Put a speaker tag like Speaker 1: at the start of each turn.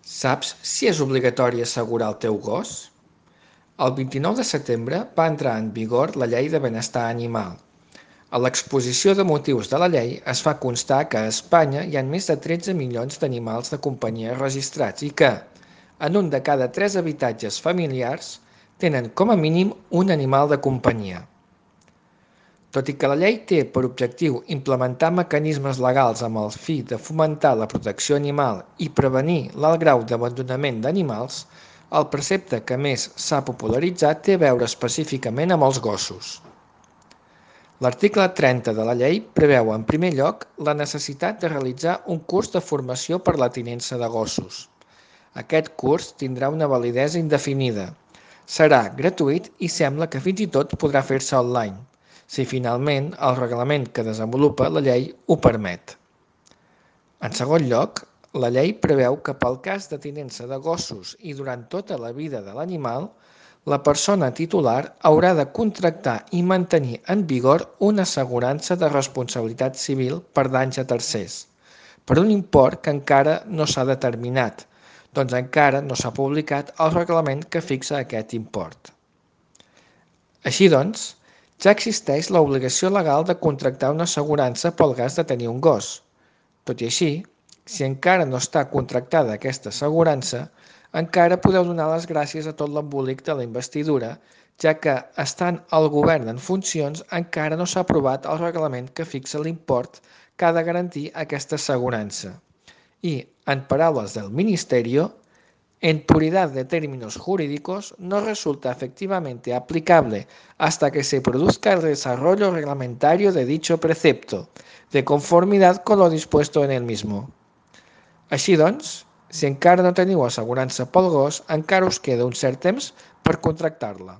Speaker 1: Saps si és obligatori assegurar el teu gos? El 29 de setembre va entrar en vigor la Llei de Benestar Animal. A l'exposició de motius de la llei es fa constar que a Espanya hi ha més de 13 milions d'animals de companyia registrats i que, en un de cada 3 habitatges familiars, tenen com a mínim un animal de companyia. Tot i que la llei té per objectiu implementar mecanismes legals amb el fi de fomentar la protecció animal i prevenir l'alt grau d'abandonament d'animals, el precepte que més s'ha popularitzat té a veure específicament amb els gossos. L'article 30 de la llei preveu, en primer lloc, la necessitat de realitzar un curs de formació per la tinença de gossos. Aquest curs tindrà una validesa indefinida. Serà gratuït i sembla que fins i tot podrà fer-se online, si finalment el reglament que desenvolupa la llei ho permet. En segon lloc, la llei preveu que pel cas de tinença de gossos i durant tota la vida de l'animal, la persona titular haurà de contractar i mantenir en vigor una assegurança de responsabilitat civil per danys a tercers, per un import que encara no s'ha determinat, doncs encara no s'ha publicat el reglament que fixa aquest import. Així doncs, ja existeix l'obligació legal de contractar una assegurança pel cas de tenir un gos. Tot i així, si encara no està contractada aquesta assegurança, encara podeu donar les gràcies a tot l'embolic de la investidura, ja que, estant el govern en funcions, encara no s'ha aprovat el reglament que fixa l'import que ha de garantir aquesta assegurança. Y, en palabras del Ministerio, en puridad de términos jurídicos, no resulta efectivamente aplicable hasta que se produzca el desarrollo reglamentario de dicho precepto, de conformidad con lo dispuesto en el mismo. Així doncs, si encara no teniu assegurança pel gos, encara us queda un cert temps per contractar-la.